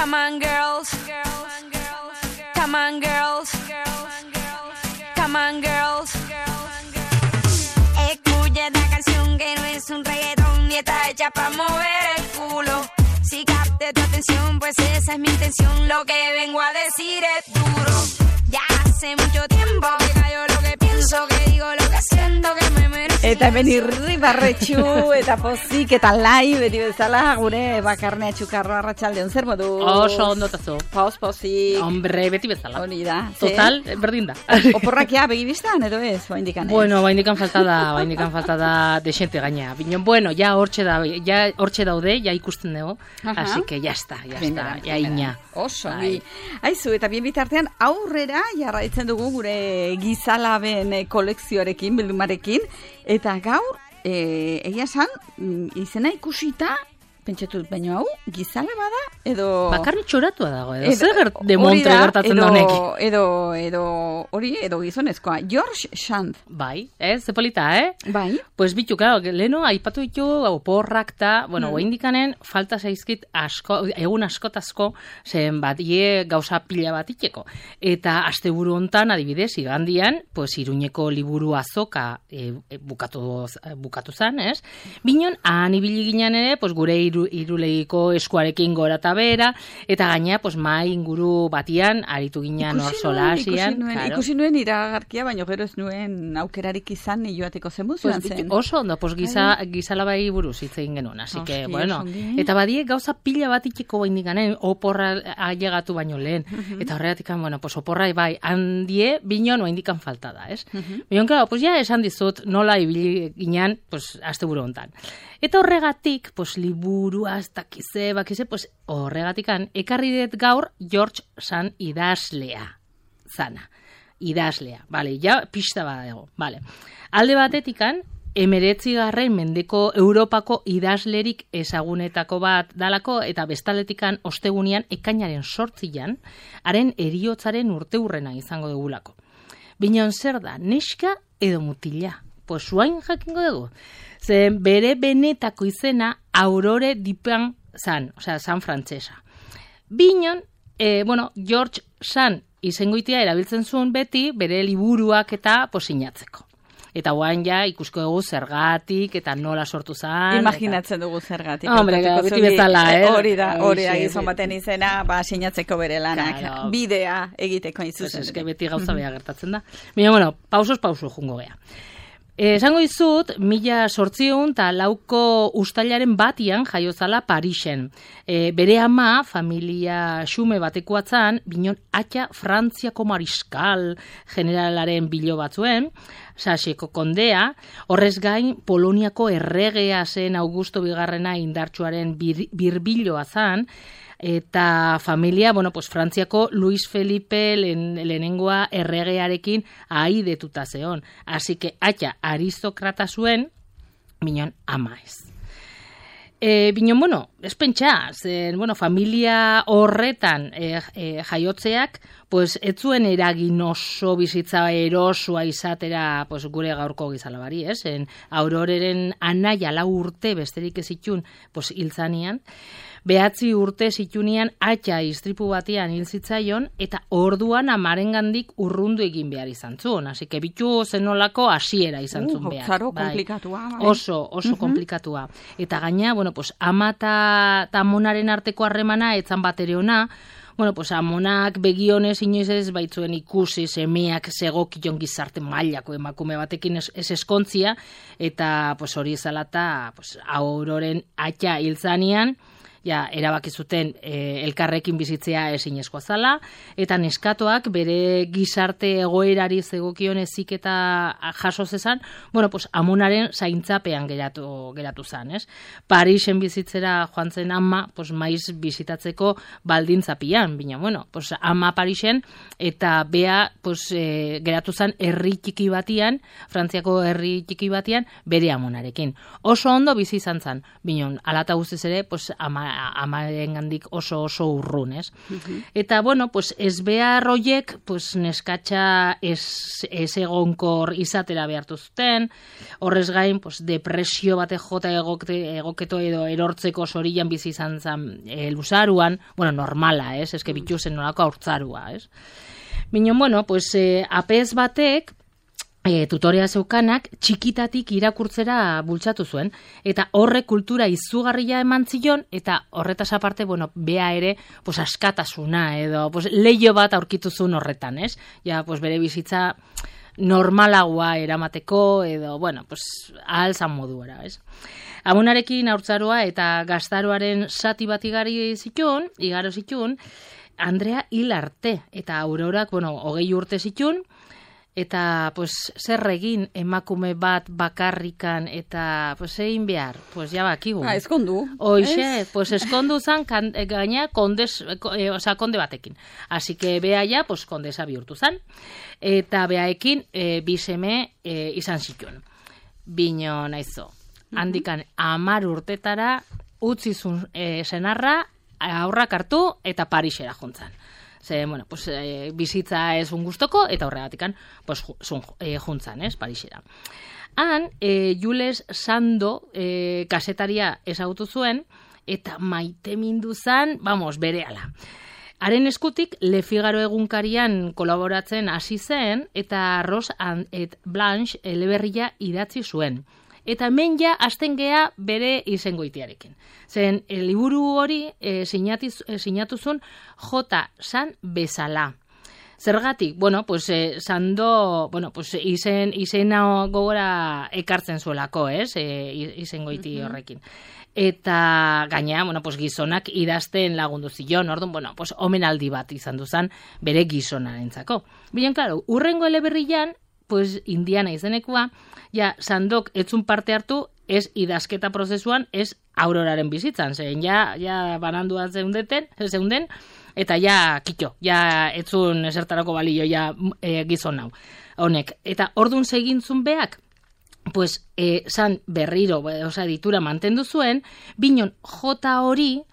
Come on girls, come on girls, come on girls. Escucha esta canción que no es un reggaetón y está hecha para mover el culo. Si capte tu atención, pues esa es mi intención. Lo que vengo a decir es duro. Ya hace mucho tiempo que cayó lo que pienso, que digo lo que siento, que me merezco. Eta hemen irribarretxu, eta pozik, eta lai, beti bezala, gure bakarnea txukarro arratsaldeon zer modu? Oso ondotazu. Pozik. Hombre, beti bezala. Hori da. Total, berdin da. Oporrakia begibistan, edo ez, oaindikan ez? Bueno, oaindikan falta da desente gaina. Bino, bueno, ja hortxe daude, ja ikusten dugu, así que ya está, ya ina. Oso, aizu, eta bien bitartean aurrera jarraitzen dugu gure gizalaben kolekzioarekin, bildumarekin, eta gaur, egia esan, izena ikusita, pentsatut, baino hau, gizala bada, edo... Bakarri txoratua dago, edo zer demontre gertatzen da honek. Edo gizonezkoa, George Sand. Bai, ze polita, Bai. Pues bitu, claro, leheno, aipatu ditu, oporrak ta, bueno, oindikanen, falta zaizkit egun askotazko, zen bat, gauza pila bat itxeko. Eta asteburu hontan, adibidez, igandian, pues Iruñeko liburu azoka bukatu zan, ez? Binon, han ibili ginen ere, pues gure irulegiko eskuarekin gora eta bera, eta gaina, pues mai inguru batian, aritu ginen hor solasian. Ikusi nuen iragarkia, baina gero ez nuen aukerarik izan joateko zenbuz joan zen. Oso ondo, pues gizalabai buruz hitz egin genuen, así que, bueno, eta badie gauza pila bat itxeko baindikanen, oporra ailegatu baino lehen, eta horregatik, bueno, pues oporra bai, handie, binon oaindikan falta da, ez? Binon, claro, pues ja esan dizut, nola ibili ginen, pues, asteburu hontan. Eta horregatik, pues, liburua, bakize, pues, horregatikan, ekarri dut gaur George Sand idazlea zana. Idazlea, bale, ja pista badago, bale. Alde batetikan, 19. mendeko Europako idazlerik ezagunetako bat dalako, eta bestaletikan ostegunian ekainaren 8an, haren heriotzaren urteurrena izango dugulako. Binon zer da, neska edo mutila? Pues zuain jakingo dugu. Zen bere benetako izena Aurore Dupin zan, osea, zan frantzesa. Binon, George Sand izengoitia erabiltzen zuen beti bere liburuak eta sinatzeko. Eta guain ja ikusko dugu zergatik eta nola sortu zan. Imaginatzen dugu zergatik. Hombre, beti bezala, Hori da, gizon baten izena, sinatzeko bere lanak. Claro. Bidea egiteko izuzen. Pues eske beti gauza bea gertatzen da. Baina, bueno, pauso jungo gea. Esango dizut, 1804 uztailaren batian jaiozala Parisen. Bere ama, familia xume batekoatzan, binon atxa Frantziako mariskal generalaren bilo batzuen, Saseko kondea, horrez gain Poloniako erregea zen Augusto Bigarrena indartsuaren birbiloa zan, eta familia, pues Frantziako Luis Felipe lehenengoa erregearekin ahaidetuta zeon. Así que atxa aristokrata zuen, binon ama ez. Binon, ez pentsa, familia horretan jaiotzeak, pues ez zuen eragin oso bizitza erosua izatera gure gaurko gizalabari, ez? Auroreren anaia 4 urte besterik ez zitun hiltzanian, 9 urte zitunian atxa istripu batean hil zitzaion, eta orduan amarengandik urrundu egin behar izan zuen. Así que bitu zenolako hasiera izan zuen behar. Zaro komplikatua. Oso komplikatua. Eta gaina, ama eta amonaren arteko harremana etzan bat ere ona, amonak begionez inoiz ez baitzuen ikusi semeak zegokion gizarte mailako emakume batekin ez eskontzia, eta hori ezalata Auroren atxa hiltzanian, erabaki zuten elkarrekin bizitzea ezinezkoa zala, eta neskatoak bere gizarte egoerari zegokion heziketa jaso zezan, amonaren zaintzapean geratu zan, ez? Parisen bizitzera joan zen ama, maiz bizitatzeko baldintzapian, bina, ama Parisen, eta bea geratu zan herri txiki batian, Frantziako herri txiki batian, bere amonarekin. Oso ondo bizi izan zan, bina, alata guztiz ere, ama amarengandik oso urrun, ez? Eta, bueno, pues ez behar hoiek, pues neskatxa ez egonkor izatera behartu zuten, horrez gain, pues depresio bate jota egoketo edo erortzeko sorian bizi izan zen luzaruan, bueno, normala, ez? Eske bitu zen nolako haurtzarua, ez? Minon, bueno, pues apez batek, tutorea zeukanak txikitatik irakurtzera bultzatu zuen, eta horre kultura izugarria eman zion, eta horretaz aparte, bueno, bea ere, pues askatasuna, edo, pues leio bat aurkitu zuen horretan, ez? Ja, pues bere bizitza normalagoa eramateko, edo, bueno, pues ahalzan moduera, ez? Amunarekin haurtzaroa eta gaztaroaren zati bat igaro zitun, Andrea hil arte, eta Aurorak, bueno, 20 urte zitun, eta, pues, zer egin emakume bat bakarrikan, eta, pues, egin behar, pues, ja bakigu. Eskondu. Hoxe, pues, eskondu zan, gaina, konde batekin. Así que, bea ja, pues, kondesa bihurtu zan, eta beaekin, biseme izan zituen. Bino, naizo, handikan 10 urtetara, utzizun senarra, aurrak hartu, eta Parisera juntzan. Ze, bueno, pues, bizitza ez gustoko, eta horregatikan, pues, juntzan, Parisera. Han, Jules Sando kasetaria ezagutu zuen, eta maite mindu zan, vamos, berehala. Haren eskutik, Le Figaro egunkarian kolaboratzen hasi zen, eta Rose et Blanche eleberria idatzi zuen. Eta hemen ja hasten gea bere izengoitiarekin. Zen, liburu hori sinatu zuen J. San bezala. Zergatik, bueno, pues Sando, bueno, pues izena gogora ekartzen zuelako, izengoiti horrekin. Eta gaina, bueno, pues gizonak idazten lagundu zion, orduan, bueno, pues omenaldi bat izan duzan bere gizonarentzako. Bien, claro, urrengo eleberrian, pues Indiana izenekua, ja, Sandok etzun parte hartu, ez idazketa prozesuan, ez Auroraren bizitzan, zen, ja bananduan zeunden, eta ja, kitxo, ja etzun esertarako balio, ja gizon hau, honek. Eta ordun segintzun beak, pues, san berriro, oza, ditura mantendu zuen, binon J hori,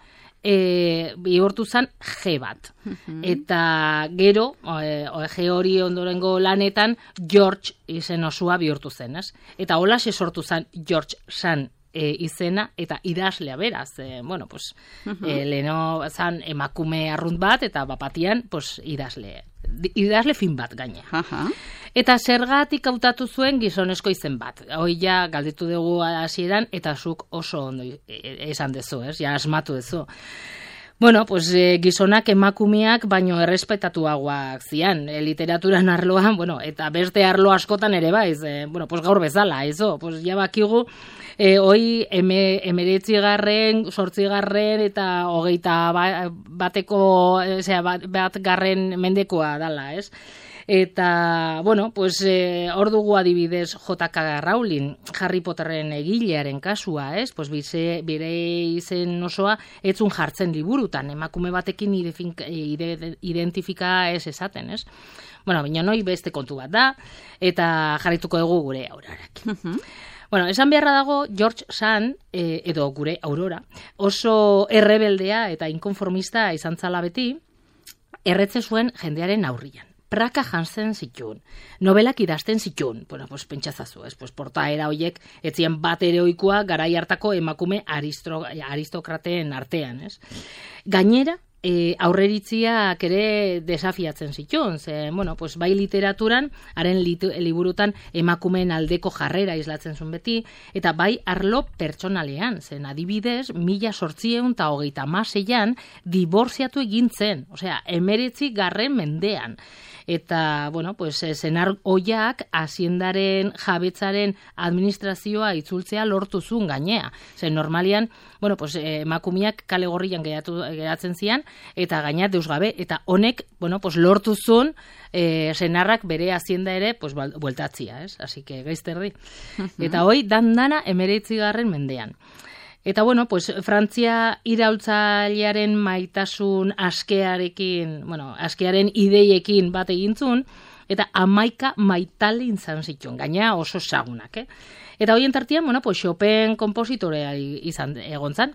bihurtu zan G bat. Eta gero, G hori ondorengo lanetan, George izen osua bihurtu zen, ez? Eta holaxe sortu zan George Sand izena, eta idazlea beraz, bueno, pues, leheno zan emakume arrunt bat, eta bapatian, pues, idazle fin bat gaine. Eta zergatik hautatu zuen gizonezko izen bat. Hoi ja galdetu dugu hasieran, eta zuk oso ondo esan dezu, ez? Ja asmatu dezu. Bueno, pues gizonak emakumeak baino errespetatuagoak zian, literaturan arloan, bueno, eta beste arlo askotan ere baiz, bueno, pues gaur bezala, eso, pues ja bakigu, hoi 19. 8. eta 20. batgarren mendekoa dala, ez? Eta, bueno, pues, hor dugu adibidez J.K. Rowling, Harry Potterren egilearen kasua, ez? Pues, bere izen osoa etzun jartzen liburutan, emakume batekin identifika ez esaten, ez? Bueno, baina noi beste kontu bat da, eta jarrituko dugu gure Aurorak. Bueno, esan beharra dago, George Sand, edo gure Aurora, oso errebeldea eta inkonformista izan zala beti, erretze zuen jendearen aurrian. Praka jantzen zitun, novelak idazten zitun, bueno, pues pentsatzazu, pues portaera hoiek etzien bat heroikoa garai hartako emakume aristokrateen artean, ez? Gainera, aurreritziak ere desafiatzen zitun, ze, bueno, pues bai literaturan, haren liburutan emakumeen aldeko jarrera islatzen zuen beti, eta bai arlo pertsonalean, zen adibidez, 1836an diborziatu egintzen, osea, 19. mendean. Eta, bueno, pues, senar oiak haziendaren jabetzaren administrazioa itzultzea lortu zuen gainea. Zer, normalian, bueno, pues, emakumeak kale gorrian geratzen zian, eta gaina deus gabe, eta honek, bueno, pues, lortu zuen senarrak bere hazienda ere, pues, bueltatzia, ez? Así que, gaizterdi. Eta hoi, dana 19. mendean. Eta, bueno, pues, Frantzia iraultzailearen maitasun askearekin, bueno, askearen ideiekin bat egintzun, eta 11 maitale izan zituen, gaina oso zagunak, Eta hoien tartian, bueno, pues, Chopin kompositorea izan egontzan,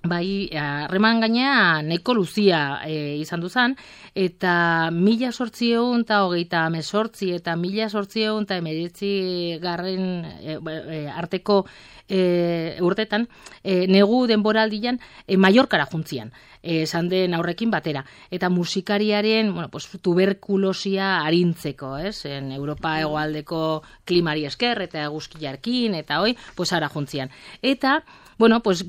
bai, harreman gainea nahiko luzia izan duzan, eta 1828 eta 1819 garren arteko urtetan, negu denboraldian Mallorcara juntzian, esan den aurrekin batera. Eta musikariaren, tuberkulosia arintzeko, en Europa hegoaldeko klimari esker, eta eguzkiarkin, eta hoi, ara juntzian. Eta,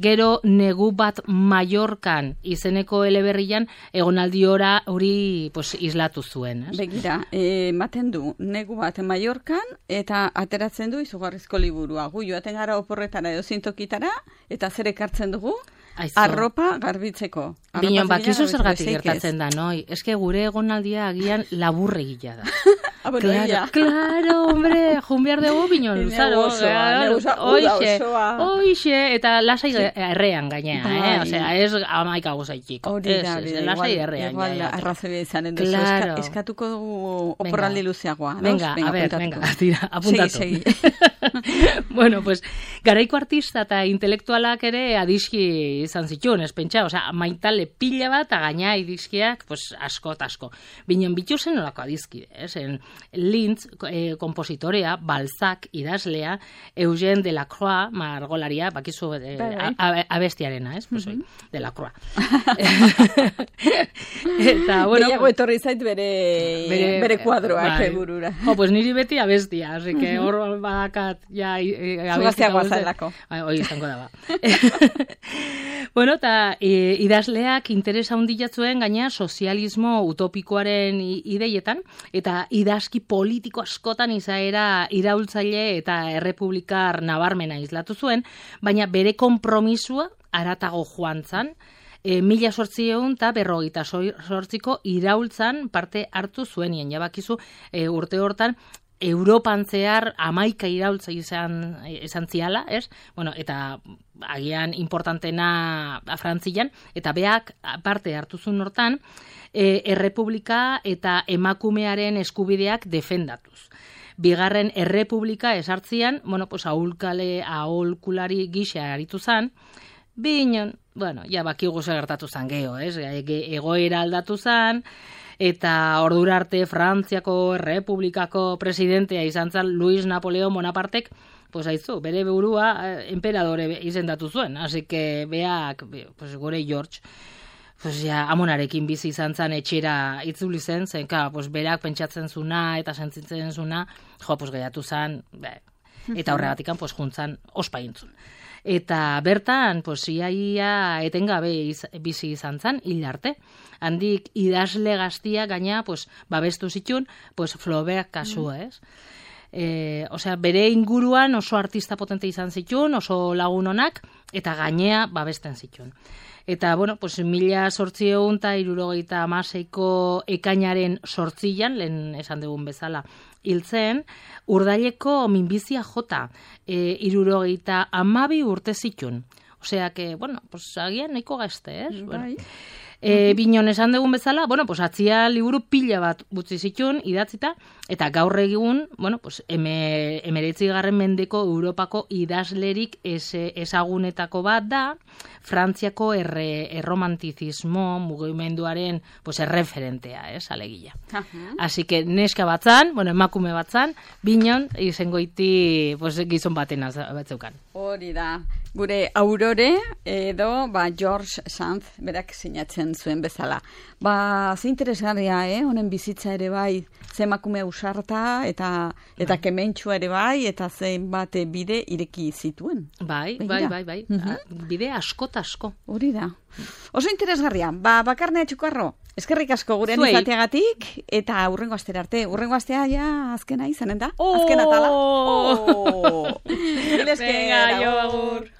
gero negu bat Mallorcan izeneko eleberrian egonaldi hori islatu zuen. Begira, ematen du negu bat Mallorcan eta ateratzen du izugarrizko liburua. Gu joaten gara oporretara edo zintokitara eta zer ekartzen dugu? Arropa garbitzeko. Binon, bakizu zergatik gertatzen da, noi? Eske gure egonaldia agian laburregila da. Claro, hombre, junbiar dugu binon luzaro. Oixe, eta lasai errean gainea, ez amaika gozaitxiko. Lasai errean. Arrazabia izanen duzu, eskatuko dugu oporraldi luzeagoa. Venga, tira, apuntatu. Segi. Garaiko artista eta intelektualak ere adiski izan zituen, ez pentsa, maitale pila bat, gaina idizkiak, asko. Binon bituzen olako adizkide, Linz, kompositorea, Balzac, idazlea, Eugène Delacroix, margolaria, bakizu abestiarena, Delacroix. Eta, gehiago etorri zait bere kuadroak burura. Niri beti abestia, así que hor badakat, ja, abestia guazalako. Hoi izango da, eta idazleak interesa handiatzuen gaina sozialismo utopikoaren ideietan, eta idazki politiko askotan izaera iraultzaile eta errepublikar nabarmena islatu zuen, baina bere konpromisua aratago joan zan, 1858ko iraultzan parte hartu zuenien, jabakizu urte hortan, Europan zehar 11 iraultza izan ziala, ez? Eta agian importantena Frantzian, eta beak parte hartu zuen hortan, errepublika eta emakumearen eskubideak defendatuz. Bigarren errepublika esartzian, aholkulari gisa aritu zan, binon, bakigu gertatu zan geho, egoera aldatu zan, eta ordura arte Frantziako Errepublikako presidentea izan zan Luis Napoleon Bonapartek, bere burua emperadore izendatu zuen, así que beak, gure George, amonarekin bizi izan zan etxera itzuli zen, berak pentsatzen zuna eta sentitzen zuna, gehiatu zan, eta horregatikan juntzan ospaintzun. Eta bertan, iaia etengabe bizi izan zan, hil arte. Handik idazle gaztia gaina, babestu zitun, Flaubert kasua, ez? Bere inguruan oso artista potente izan zitun, oso lagun onak, eta gainea babesten zitun. Eta, 1876ko ekainaren 8an, lehen esan dugun bezala, hiltzen, urdaileko minbizia jota, 72 urte zitun. Osea, agian nahiko gazte, ez? Binon esan dugun bezala, atzia liburu pila bat butzi zitun, idatzita, eta gaur egun, 19. mendeko Europako idazlerik ezagunetako bat da, Frantziako erromantizismo mugimenduaren erreferentea, alegia. Así que neska batzan, emakume batzan, binon izango iti gizon baten batzeukan. Hori da, gure Aurore edo George Sand berak sinatzen zuen bezala. Ze interesgarria, honen bizitza ere bai, ze emakume ausarta eta kementxua ere bai, eta zenbat bide ireki zituen. Bai. Bide asko. Hori da. Oso interesgarria. Bakarnea Txukarro, eskerrik asko gurean izateagatik, eta hurrengo astera arte. Hurrengo astea ja azkena izanen da. Azken atala.